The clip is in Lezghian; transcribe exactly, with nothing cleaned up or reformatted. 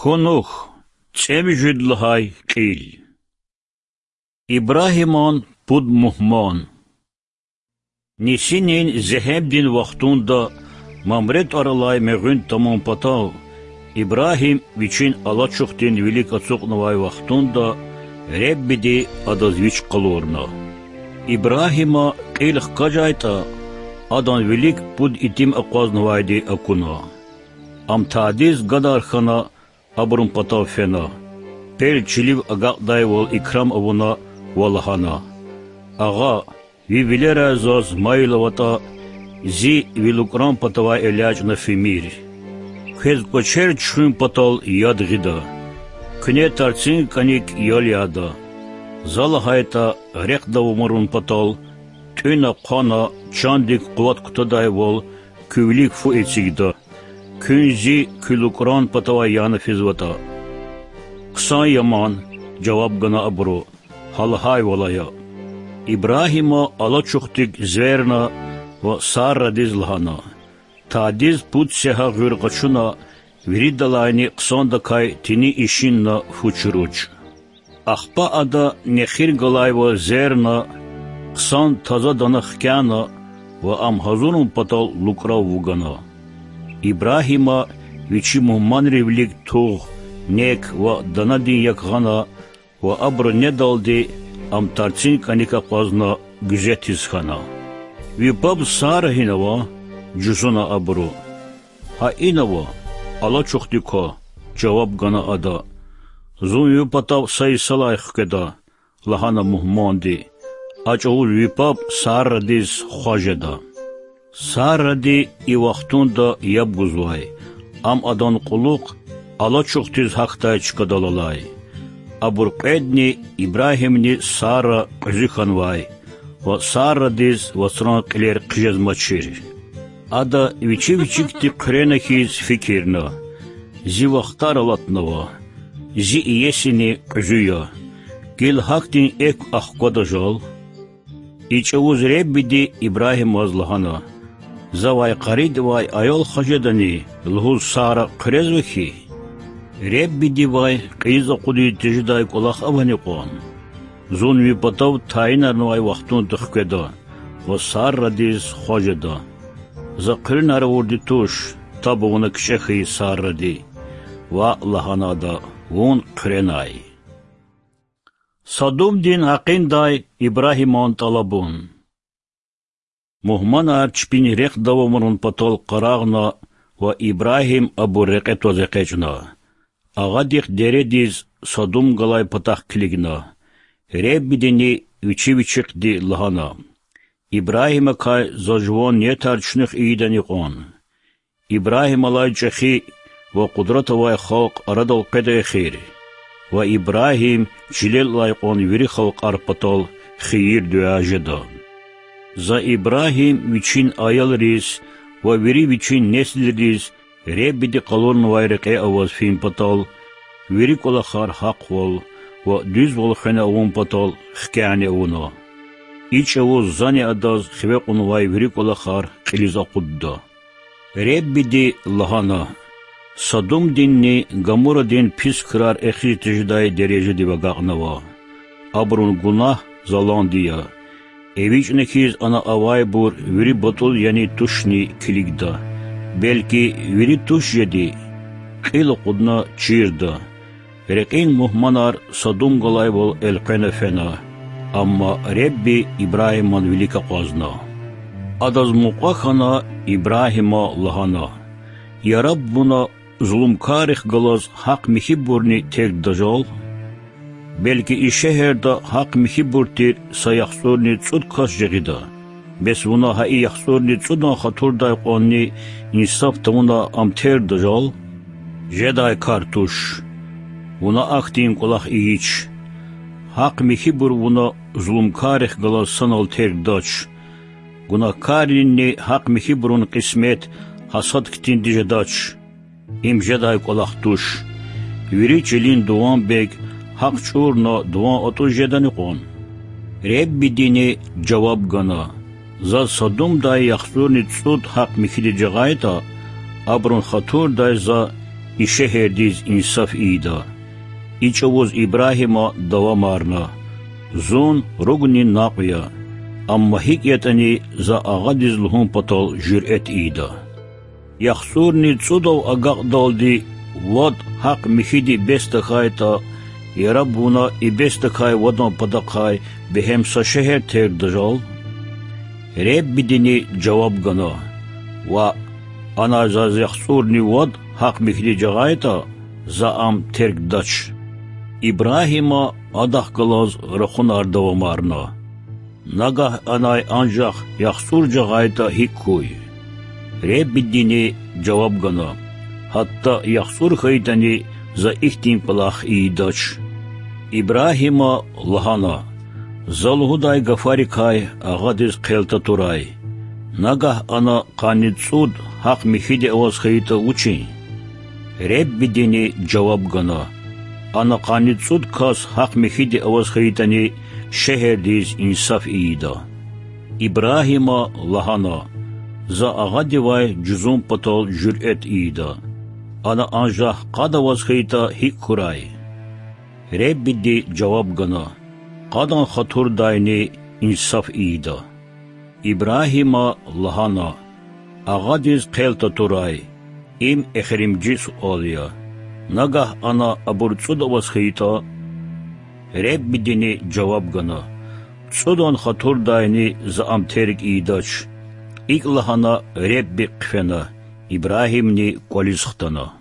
Къунух, цӀемуьжуьд лагьай кьил. Ибрагьиман пуд мугьман. Нисинин зегьемдин вахтунда Мамре тӀвар алай мегъуьн тамун патал, Ибрагьим вичин алачухдин вилик ацукьнавай вахтунда Реббиди адаз вич къалурна. Ибрагьима кьил хкажайтӀа, адан вилик пуд итим акъвазнавайди акуна. Ам тадиз гадар хьана, абурун патав фена, пел чилив агакьдайвал икрам авуна ва лагьана: Агъа, ви вилерай заз майил аватӀа, зи ви лукӀран патавай элячӀна фимир. Квез кӀвачер чуьхуьн патал яд гъида. Куьне тарцин кӀаник ял яда. За лагьайтӀа, рехъ давамарун патал, тӀуьна-хъвана, чандик къуват кутадайвал, куь вилик фу эцигда. Куьн зи куь лукӀран патавай яна физватӀа. Хъсан я ман,— жаваб гана абуру,— гьа лагьайвал ая. Ибрагьима алачухдик зверна ва Саррадиз лагьана: Тадиз пуд сегьа гъуьр къачуна, виридалайни хъсандакай тини ишинна фу чуруч. Ахпа ада нехир галайвал зверна, хъсан таза дана хкяна ва ам гьазурун патал лукӀрав вугана. Ибрагьима вичи мугьманрин вилик тугъ, нек ва данадин як гъана ва абуру недалди ам тарцин кӀаник акъвазна гуьзетиз хьана. Ви паб Сара гьина ава? жузуна абуру. Гьа ина ава, алачухди ква,— жаваб гана ада. Зун ви патав са йисалай хкведа,— лагьана мугьманди. А чӀавуз ви паб Саррадиз хва жеда. Сарради и вахтунда яб гузвай, ам адан кьулухъ алачухдиз гьахьдай чкадал алай. Абур кьведни, Ибрагьимни Сара, кьуьзуь хьанвай ва Саррадиз вацран кьилер хъжезмачир. Ада вичи вичикди хъуьрена хьиз фикирна: Зи вахтар алатнава, зи иесини кьуьзуь я. Гила гьахьтин экв ахквада жал? И чӀавуз Реббиди Ибрагьимаз лагьана: Завай къаридавай аял хва жедани лугьуз Сара хъуьрезва хьи? Реббидивай кьилиз акъудиз тежедай кӀвалах авани кьван? Зун ви патав тайинарнавай вахтунда хкведа ва Саррадиз хва жеда. За хъуьренар авурди туш, таб авуна кичӀе хьайи Сарради. Ваъ,— лагьана ада,— вун хъуьренай. Садумдин гьакъиндай Ибрагьиман тӀалабун. Мугьманар чпин рехъ давамарун патал къарагъна ва Ибрагьим абур рекье тваз экъечӀна. Агъадихъ дередиз Садум галай патахъ килигна. Реббидини вичи вичихъди лагьана: Ибрагьимакай за жуван ниятар чуьнуьх ийидани кьван? Ибрагьималай чӀехи ва къудрат авай халкь арадал къведа эхир. Ва Ибрагьим чилел алай кьван вири халкьар патал хийир-дуьа жеда. За Ибрагьим вичин аялриз ва вири вичин несилриз Реббиди къалурнавай рекье аваз фин патал, вири кӀвалахар гьахъвал ва дуьзвал хвена авун патал хкяни авуна. И чӀавуз зани адаз хиве кьунвай вири кӀвалахар кьилиз акъудда. Реббиди лагьана: Садумдинни Гамурадин пис крар эхиз тежедай дережадив агакьнава. Абурун гунагь заланди я. ЭвичӀна хьиз ана авайбур вири батӀул яни тушни килигда. Белки, вири туш жеди? Кьил акъудна чирда. Рекьин мугьманар Садум галайвал элкъвена фена, амма Ребби Ибрагьиман вилик акъвазна. Адаз мукьва хьана, Ибрагьима лагьана: Я Рабб, вуна зулумкаррихъ галаз гьахъ-михьибурни тергда жал? Белки, и шегьерда гьахъ-михьибур тир са яхцӀурни цӀуд кас жагъида. Бес вуна гьа и яхцӀурни цӀудан хатурдай кьванни инсаф тавуна ам тергда жал? Жедай кар туш. Вуна ахьтин кӀвалах ийич. Гьахъ-михьибур вуна зулумкаррихъ галаз санал тергдач. Гунагькарринни гьахъ-михьибурун кьисмет гьасад хьтинди жедач. Им жедай кӀвалах туш. Вири чилин дуванбег гьахъ чӀурна дуван атӀуз жедани кьван? Реббидини жаваб гана: Заз Садумдай яхцӀурни цӀуд гьахъ-михьиди жагъайтӀа, абурун хатурдай за и шегьердиз инсаф ийида. И чІавуз Ибрагьима давамарна: Зун ругни накьв я, амма гьикІ ятІани за агъадиз лугьун патал жуьрет ийида. ЯхцІурни цІудав агакьдалди вад гьахъ-михьиди бес тахьайтІа, яраб вуна и бес тахьай вадан патахъай бегьем са шегьер тергда жал? Реббидини жаваб гана: Ваъ, анай заз яхцІурни вад гьахъ-михьиди жагъайтІа, за ам тергдач. Ибрагьима адахъ галаз рахунар давамарна: Нагагь анай анжах яхцІур жагъайтІа гьикІ хьуй? Реббидини жаваб гана: Гьатта яхцІур хьайитІани, за ихьтин кІвалах ийидач. Ибрагьима лагьана: За лугьудай гафарикай агъадиз хъел татурай. Нагагь ана къанни цІуд гьахъ-михьиди аваз хьайитІа вучин? Реббидини жаваб гана: Ана къанни цІуд кас гьахъ-михьиди аваз хьайитІани, шегьердиз инсаф ийида. Ибрагьима лагьана: За агъадивай жузун патал жуьрет ийида. Ана анжах къад аваз хьайитІа гьикІ хьурай? Реббиди жаваб гана: Къадан хатурдайни инсаф ийида. Ибрагьима лагьана: Агъадиз хъел татурай, им эхиримжи суал я. Нагагь ана абур цІуд аваз хьайитІа? Реббидини жаваб гана: ЦІудан хатурдайни за ам терг ийидач. ИкІ лагьана Ребби хъфена, Ибрагьимни кІвализ хтана.